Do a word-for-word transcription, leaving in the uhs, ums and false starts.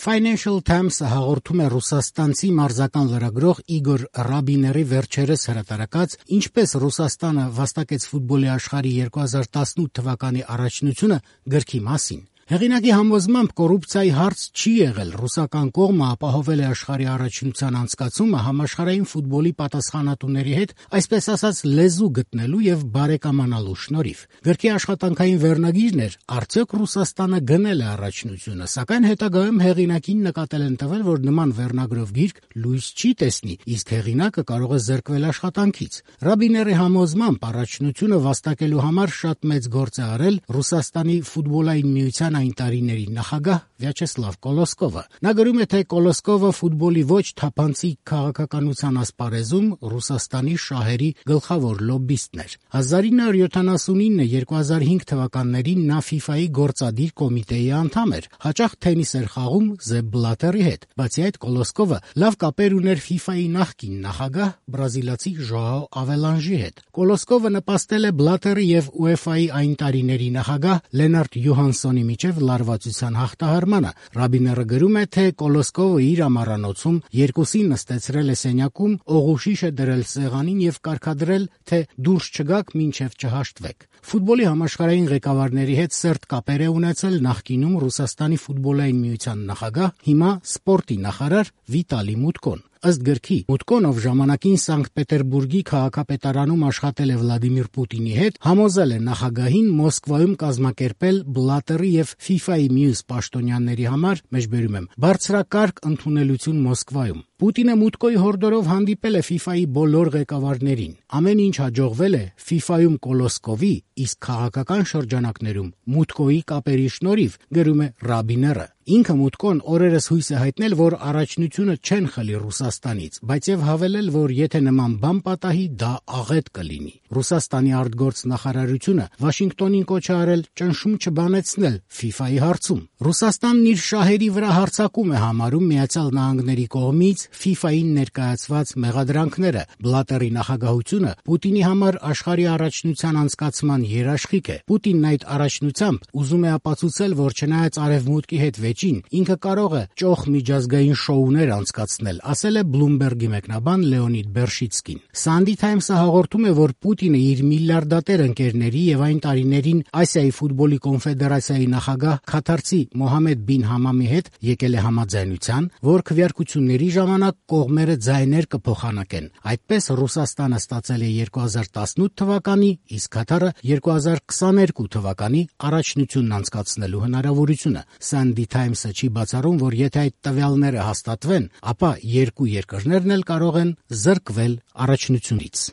Financial Times-ը հաղորդում է ռուսաստանցի մարզական լրագրող Իգոր Ռաբիների վերջերս հրատարակած «Ինչպես Ռուսաստանը վաստակեց ֆուտբոլի աշխարհի երկու հազար տասնութ թվականի առաջնությունը» գրքի մասին։ Հեղինակի համոզմամբ կոռուպցիայի հարց չի եղել, ռուսական կողմը ապահովել է աշխարհի առաջնության անցկացումը համաշխարհային ֆուտբոլի պատասխանատուների հետ, այսպես ասած, լեզու գտնելու եւ բարեկամանալու շնորհիվ։ Գրքի աշխատանքային վերնագիրն էր «Արդյոք Ռուսաստանը գնել է առաջնությունը», սակայն հետագայում հեղինակին նկատել են տվել, որ նման վերնագրով գիրք լույս չի տեսնի, իսկ հեղինակը կարող է զրկվել աշխատանքից։ Ռաբիների համոզմամբ առաջնությունը վաստակելու համար շատ մեծ գործ է արել Ռուսաստանի ֆուտբոլային միության այն տարիների նախագահ Վյաչեսլավ Կոլոսկովը։ Նա գրում է, թե Կոլոսկովը ֆուտբոլի ոչ թափանցիկ քաղաքականության ասպարեզում Ռուսաստանի շահերի գլխավոր լոբբիստն էր։ հազար ինը հարյուր յոթանասունինը - երկու հազար հինգ թվականներին նա ֆիֆայի գործադիր կոմիտեի անդամ էր, հաճախ թենիս էր խաղում Զեփ Բլատերի հետ։ Բացի այդ, Կոլոսկովը լավ կապեր ուներ ֆիֆայի նախկին նախագահ բրազիլացի Ժոաո Ավելանժի հետ։ Կոլոսկովը նպաստել է Բլատերի եւ ՈՒԵՖԱ-ի այն տարիների նախագահ Լենարդ Յոհանսոնի միջև լարվածության հաղթահարմանը։ Ռաբիները գրում է, թե Կոլոսկովը իր ամառանոցում երկուսին նստեցրել է սենյակում, օղուշիշ է դրել սեղանին եւ կարգադրել, թե դուրս չգաք, մինչեւ չհաշտվեք։ Ֆուտբոլի համաշխարհային ղեկավարների հետ սերտ կապեր է ունեցել նախկինում Ռուսաստանի ֆուտբոլային միության նախագահ, հիմա սպորտի նախարար Վիտալի Մուտկոն։ Ըստ գրքի, Մուտկոն, ով ժամանակին Սանկտ Պետերբուրգի քաղաքապետարանում աշխատել է Վլադիմիր Պուտինի հետ, համոզել է նախագահին Մոսկվայում կազմակերպել Բլատերի եւ ֆիֆայի մյուս պաշտոնյաների համար, մեջբերում եմ, բարձրակարգ ընդունելություն Մոսկվայում։ Պուտինը Մուտկոյի հորդորով հանդիպել է ֆիֆայի բոլոր ղեկավարներին։ Ամեն ինչ հաջողվել է ֆիֆայում Կոլոսկովի, իսկ քաղաքական շրջանակներում Մուտկոյի կապերի շնորհիվ, գրում է Ռաբիները։ Ինքը Մուտկոն օրերս հույս է հայտնել, որ առաջնությունը չեն խլի Ռուսաստանից, բայց եւ հավելել, որ եթե նման բան պատահի, դա աղետ կլինի։ Ռուսաստանի արտգործ նախարարությունը Վաշինգտոնին կոչ է արել ճնշում չբանեցնել ֆիֆայի հարցում։ Ռուսաստանն իր շահերի վրա հարձակում է համարում Միացյալ Նահանգների կողմից ֆիֆային ներկայացված մեղադրանքները։ Բլատերի նախագահությունը Պուտինի համար աշխարհի առաջնության անցկացման երաշխիք է։ Պուտինն այդ առաջնությամբ ուզում է ապացուցել, որ չնայած արևմուտքի հետ վեճին, ինքը կարող է ճոխ միջազգային շոուներ անցկացնել, ասել է Բլումբերգի մեկնաբան Լեոնիդ Բերշիցկին։ Սանդի Թայմսը հաղորդում է, որ Պուտինը իր միլիարդատեր ընկերների եւ այն տարիներին Ասիայի ֆուտբոլի կոնֆեդերացիայի նախագահ քաթարցի Մոհամեդ բին Համամի հետ եկել է համաձայնության, որ քվեարկությունների ժամանակ կողմերը ձայներ կփոխանակեն։ Այդպես Ռուսաստանը ստացել է երկու հազար տասնութ թվականի, իսկ Քաթարը երկու հազար քսաներկու թվականի առաջնությունն անցկացնելու հնարավորությունը։ Սանդի Թայմսը չի բացառում, որ եթե այդ տվյալները հաստատվեն, ապա երկու երկրներն էլ կարող են զրկվել առաջնությունից։